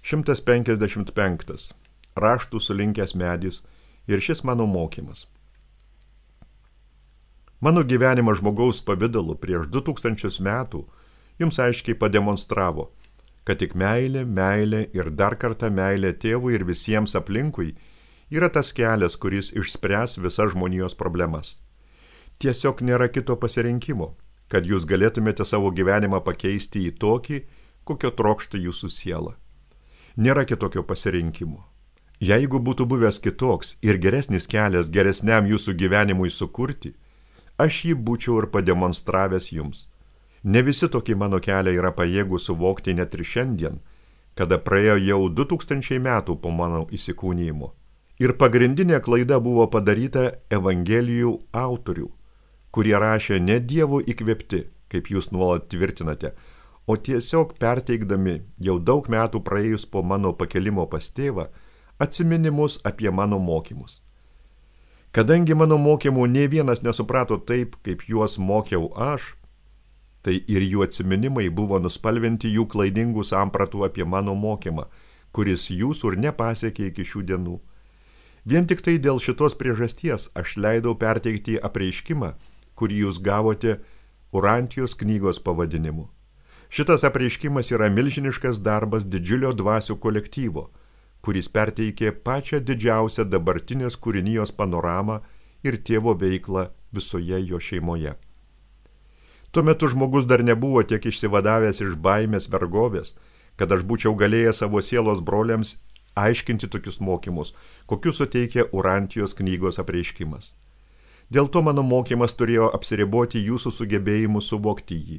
155. Raštų sulinkęs medis ir šis mano mokymas. Mano gyvenimas žmogaus pavidalu prieš 2000 metų jums aiškiai pademonstravo, kad tik meilė, meilė ir dar kartą meilė tėvui ir visiems aplinkui yra tas kelias, kuris išspręs visas žmonijos problemas. Tiesiog nėra kito pasirinkimo, kad jūs galėtumėte savo gyvenimą pakeisti į tokį, kokio trokšta jūsų siela. Nėra kitokio pasirinkimo. Jeigu būtų buvęs kitoks ir geresnis kelias geresniam jūsų gyvenimui sukurti, aš jį būčiau ir pademonstravęs jums. Ne visi tokį mano kelią yra pajėgų suvokti net ir šiandien, kada praėjo jau 2000 metų po mano įsikūnijimo. Ir pagrindinė klaida buvo padaryta Evangelijų autorių, kurie rašė ne Dievo įkvėpti, kaip jūs nuolat tvirtinate, o tiesiog perteikdami jau daug metų praėjus po mano pakelimo pas tėvą atsiminimus apie mano mokymus. Kadangi mano mokymų nė vienas nesuprato taip, kaip juos mokiau aš, tai ir jų atsiminimai buvo nuspalvinti jų klaidingų sampratų apie mano mokymą, kuris jūsų ir nepasiekė iki šių dienų. Vien tik tai dėl šitos priežasties aš leidau perteikti apreiškimą, kurį jūs gavote Urantijos knygos pavadinimu. Šitas apreiškimas yra milžiniškas darbas didžiulio dvasių kolektyvo, kuris perteikė pačią didžiausią dabartinės kūrinijos panoramą ir tėvo veiklą visoje jo šeimoje. Tuo metu žmogus dar nebuvo tiek išsivadavęs iš baimės vergovės, kad aš būčiau galėjęs savo sielos broliams aiškinti tokius mokymus, kokius suteikia Urantijos knygos apreiškimas. Dėl to mano mokymas turėjo apsiriboti jūsų sugebėjimu suvokti jį.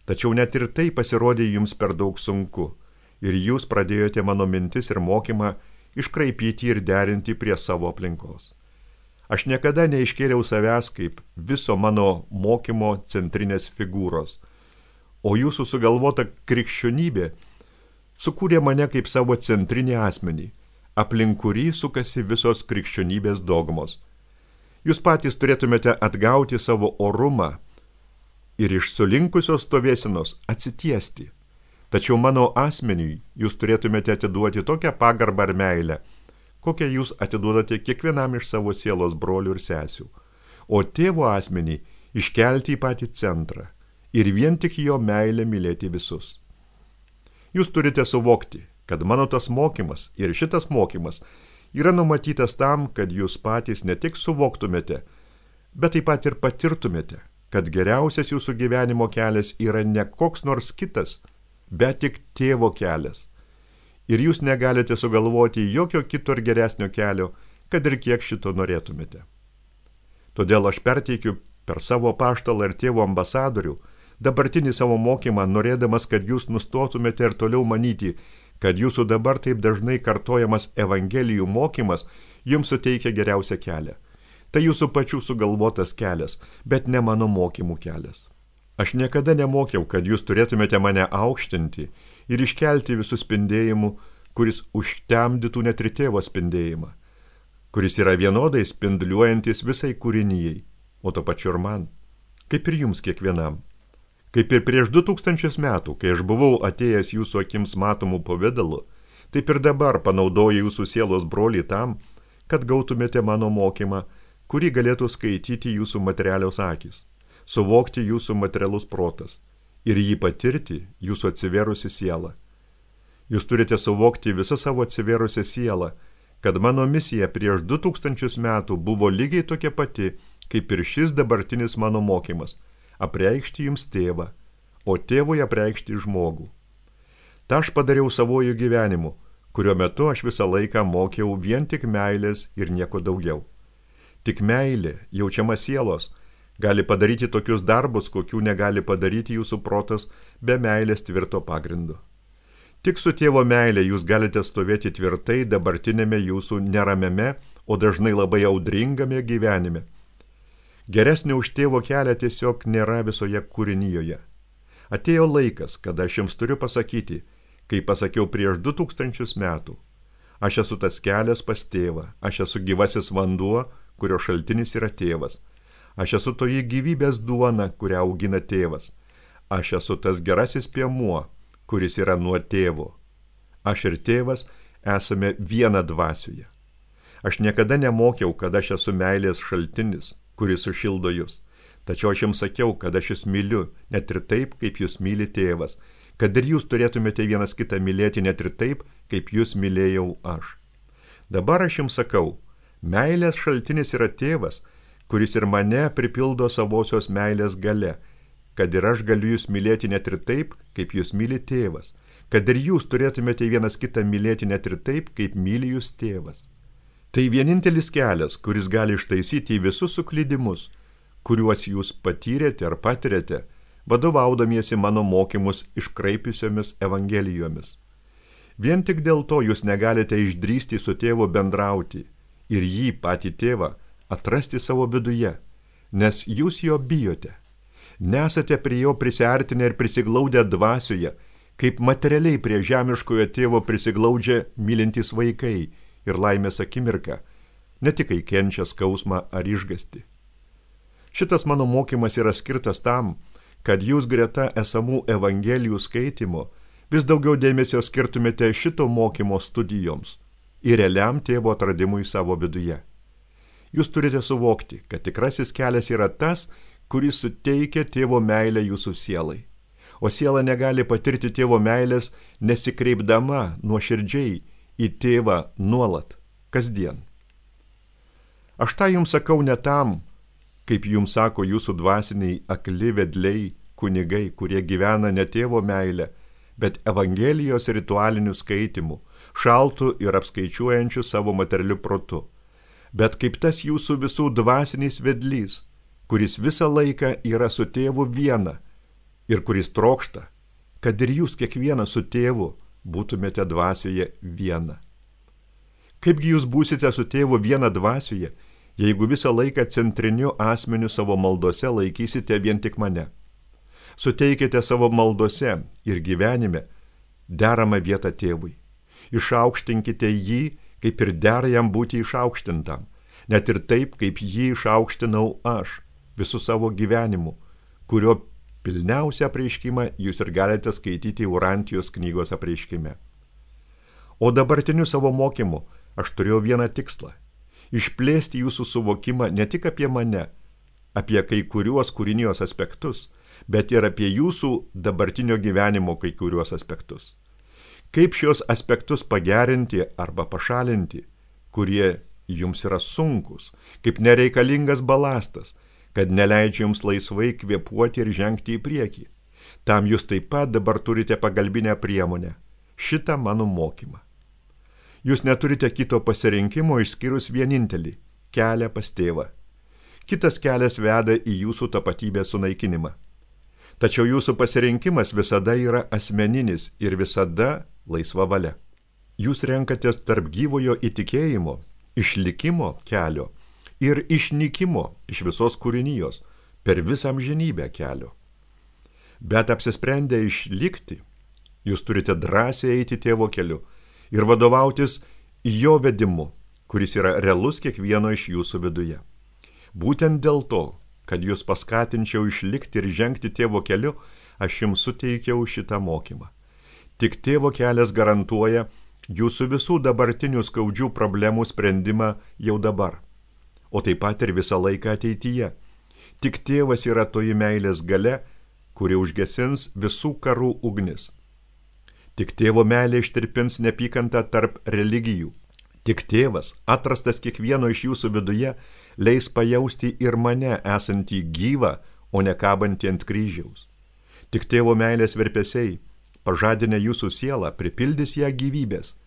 Tačiau net ir tai pasirodė jums per daug sunku, ir jūs pradėjote mano mintis ir mokymą iškraipyti ir derinti prie savo aplinkos. Aš niekada neiškėliau savęs kaip viso mano mokymo centrinės figūros, o jūsų sugalvota krikščionybė sukūrė mane kaip savo centrinį asmenį, aplink kurį sukasi visos krikščionybės dogmos. Jūs patys turėtumėte atgauti savo orumą ir iš sulinkusios stovėsenos atsitiesti. Tačiau mano asmeniui jūs turėtumėte atiduoti tokią pagarbą ir meilę, kokią jūs atiduodate kiekvienam iš savo sielos brolių ir sesių, o tėvo asmenį iškelti į patį centrą ir vien tik jo meilę mylėti visus. Jūs turite suvokti, kad mano tas mokymas ir šitas mokymas yra numatytas tam, kad jūs patys ne tik suvoktumėte, bet taip pat ir patirtumėte, kad geriausias jūsų gyvenimo kelias yra ne koks nors kitas, bet tik tėvo kelias. Ir jūs negalite sugalvoti jokio kito ir geresnio kelio, kad ir kiek šito norėtumėte. Todėl aš perteikiu per savo apaštalą ir tėvo ambasadorių dabartinį savo mokymą, norėdamas, kad jūs nustotumėte ir toliau manyti, kad jūsų dabar taip dažnai kartojamas Evangelijų mokymas jums suteikia geriausią kelią. Tai jūsų pačių sugalvotas kelias, bet ne mano mokymų kelias. Aš niekada nemokiau, kad jūs turėtumėte mane aukštinti ir iškelti visų spindėjimų, kuris užtemdytų net ir tėvo spindėjimą, kuris yra vienodai spinduliuojantis visai kūrinijai, o to pačiu ir man, kaip ir jums kiekvienam. Kaip ir prieš 2000 metų, kai aš buvau atėjęs jūsų akims matomų pavidalu, taip ir dabar panaudoju jūsų sielos brolį tam, kad gautumėte mano mokymą, kurį galėtų skaityti jūsų materialios akys, suvokti jūsų materialus protas ir jį patirti jūsų atsivėrusi siela. Jūs turite suvokti visą savo atsivėrusią sielą, kad mano misija prieš 2000 metų buvo lygiai tokia pati, kaip ir šis dabartinis mano mokymas – apreikšti jums tėvą, o tėvui apreikšti žmogų. Ta aš padariau savojų gyvenimu, kurio metu aš visą laiką mokiau vien tik meilės ir nieko daugiau. Tik meilė, jaučiama sielos, gali padaryti tokius darbus, kokių negali padaryti jūsų protas be meilės tvirto pagrindo. Tik su tėvo meilė jūs galite stovėti tvirtai dabartinėme jūsų neramiame, o dažnai labai audringame gyvenime. Geresnio už tėvo kelią tiesiog nėra visoje kūrinijoje. Atėjo laikas, kada aš jums turiu pasakyti, kaip pasakiau prieš 2000 metų. Aš esu tas kelias pas tėvą, aš esu gyvasis vanduo, kurio šaltinis yra tėvas. Aš esu toji gyvybės duona, kurią augina tėvas. Aš esu tas gerasis piemuo, kuris yra nuo tėvo. Aš ir tėvas esame viena dvasioje. Aš niekada nemokiau, kad aš esu meilės šaltinis, kuris sušildo jūs. Tačiau aš jums sakiau, kad aš jūs myliu, net ir taip, kaip jūs myli tėvas, kad ir jūs turėtumėte vienas kitą mylėti net ir taip, kaip jūs mylėjau aš. Dabar aš jums sakau, meilės šaltinis yra tėvas, kuris ir mane pripildo savosios meilės gale, kad ir aš galiu jūs mylėti net ir taip, kaip jūs myli tėvas, kad ir jūs turėtumėte vienas kitą mylėti net ir taip, kaip myli jūs tėvas. Tai vienintelis kelias, kuris gali ištaisyti visus suklydimus, kuriuos jūs patyrėte ar patirėte, vadovaudamiesi mano mokymus iškraipiusiomis evangelijomis. Vien tik dėl to jūs negalite išdrįsti su tėvu bendrauti ir jį patį tėvą atrasti savo viduje, nes jūs jo bijote. Nesate prie jo prisiartinę ir prisiglaudę dvasioje, kaip materialiai prie žemiškojo tėvo prisiglaudžia mylintys vaikai ir laimės akimirka, ne tik kai kenčia skausmą ar išgąstį. Šitas mano mokymas yra skirtas tam, kad jūs greta esamų evangelijų skaitimo vis daugiau dėmesio skirtumėte šito mokymo studijoms ir realiam tėvo atradimui savo viduje. Jūs turite suvokti, kad tikrasis kelias yra tas, kuris suteikia tėvo meilę jūsų sielai. O siela negali patirti tėvo meilės nesikreipdama nuoširdžiai į tėvą nuolat, kasdien. Aš tą jums sakau ne tam, kaip jums sako jūsų dvasiniai akli vedliai, kunigai, kurie gyvena ne tėvo meilę, bet evangelijos ritualiniu skaitimu, šaltu ir apskaičiuojančiu savo materialiu protu, bet kaip tas jūsų visų dvasinis vedlys, kuris visą laiką yra su tėvu viena ir kuris trokšta, kad ir jūs kiekvienas su tėvu būtumėte dvasioje viena. Kaipgi jūs būsite su tėvu viena dvasioje, jeigu visą laiką centriniu asmeniu savo maldose laikysite vien tik mane? Suteikite savo maldose ir gyvenime deramą vietą tėvui. Išaukštinkite jį, kaip ir dera jam būti išaukštintam, net ir taip, kaip jį išaukštinau aš, visų savo gyvenimu, kurio pilniausią apreiškimą jūs ir galite skaityti Urantijos knygos apreiškime. O dabartiniu savo mokymu aš turėjau vieną tikslą – išplėsti jūsų suvokimą ne tik apie mane, apie kai kuriuos kūrinijos aspektus, bet ir apie jūsų dabartinio gyvenimo kai kuriuos aspektus. Kaip šios aspektus pagerinti arba pašalinti, kurie jums yra sunkus, kaip nereikalingas balastas, kad neleidžia jums laisvai kvėpuoti ir žengti į priekį. Tam jūs taip pat dabar turite pagalbinę priemonę – šitą mano mokymą. Jūs neturite kito pasirinkimo išskyrus vienintelį – kelią pas tėvą. Kitas kelias veda į jūsų tapatybės sunaikinimą. Tačiau jūsų pasirinkimas visada yra asmeninis ir visada laisva valia. Jūs renkatės tarp gyvojo įtikėjimo, išlikimo kelio ir išnykimo iš visos kūrinijos per visą amžinybę kelio. Bet apsisprendę išlikti, jūs turite drąsiai eiti tėvo keliu ir vadovautis jo vedimu, kuris yra realus kiekvieno iš jūsų viduje. Būtent dėl to, kad jūs paskatinčiau išlikti ir žengti tėvo keliu, aš jums suteikiau šitą mokymą. Tik tėvo kelias garantuoja jūsų visų dabartinių skaudžių problemų sprendimą jau dabar, o taip pat ir visą laiką ateityje. Tik tėvas yra toji meilės galia, kuri užgesins visų karų ugnis. Tik tėvo meilė ištirpins neapykantą tarp religijų. Tik tėvas, atrastas kiekvieno iš jūsų viduje, leis pajausti ir mane esantį gyvą, o ne kabantį ant kryžiaus. Tik tėvo meilės virpesiai, pažadinę jūsų sielą, pripildys ją gyvybės,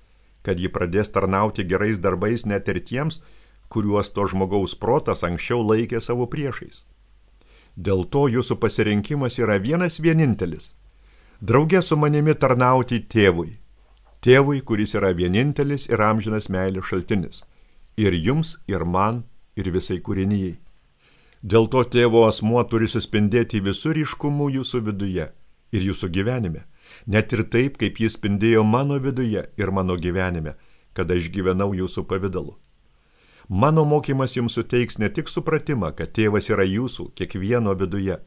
kad ji pradės tarnauti gerais darbais net ir tiems, kuriuos to žmogaus protas anksčiau laikė savo priešais. Dėl to jūsų pasirinkimas yra vienas vienintelis – drauge su manimi tarnauti tėvui. Tėvui, kuris yra vienintelis ir amžinas meilės šaltinis. Ir jums, ir man, ir visai kūrinijai. Dėl to tėvo asmuo turi suspindėti visur ryškumu jūsų viduje ir jūsų gyvenime, net ir taip, kaip jis spindėjo mano viduje ir mano gyvenime, kada aš gyvenau jūsų pavidalu. Mano mokymas jums suteiks ne tik supratimą, kad tėvas yra jūsų, kiekvieno viduje,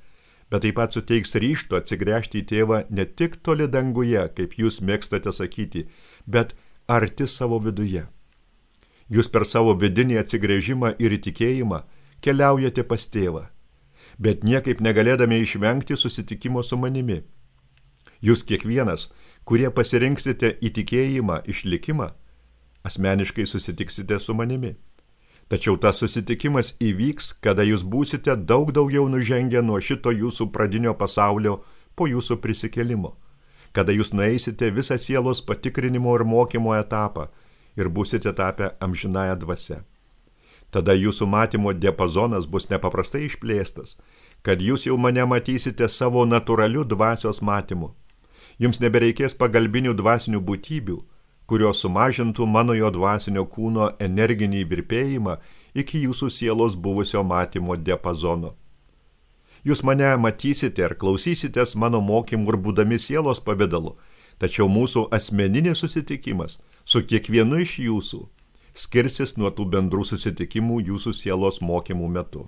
bet taip pat suteiks ryžto atsigręžti į tėvą ne tik toli danguje, kaip jūs mėgstate sakyti, bet arti savo viduje. Jūs per savo vidinį atsigręžimą ir įtikėjimą keliaujate pas tėvą, bet niekaip negalėdami išvengti susitikimo su manimi. Jūs kiekvienas, kurie pasirinksite įtikėjimą, išlikimą, asmeniškai susitiksite su manimi. Tačiau tas susitikimas įvyks, kada jūs būsite daug daugiau nužengę nuo šito jūsų pradinio pasaulio po jūsų prisikėlimo, kada jūs nueisite visą sielos patikrinimo ir mokymo etapą ir būsite tapę amžinąją dvasią. Tada jūsų matymo diapazonas bus nepaprastai išplėstas, kad jūs jau mane matysite savo natūraliu dvasios matymu. Jums nebereikės pagalbinių dvasinių būtybių, kurios sumažintų mano jo dvasinio kūno energinį virpėjimą iki jūsų sielos buvusio matymo diapazono. Jūs mane matysite ir klausysitės mano mokymų ir būdami sielos pavidalu, tačiau mūsų asmeninis susitikimas su kiekvienu iš jūsų skirsis nuo tų bendrų susitikimų jūsų sielos mokymų metu.